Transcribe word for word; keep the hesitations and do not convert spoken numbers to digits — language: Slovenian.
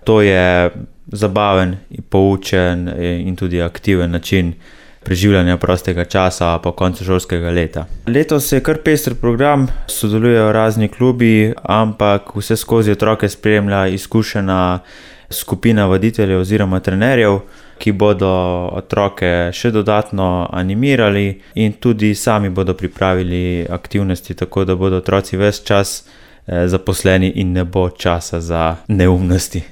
To je zabaven, poučen in tudi aktiven način preživljanja prostega časa po koncu šolskega leta. Letos je kar pester program, sodelujejo razni klubi, ampak vseskozi otroke spremlja izkušena skupina vaditeljev oziroma trenerjev, ki bodo otroke še dodatno animirali in tudi sami bodo pripravili aktivnosti, tako da bodo otroci ves čas zaposleni in ne bo časa za neumnosti.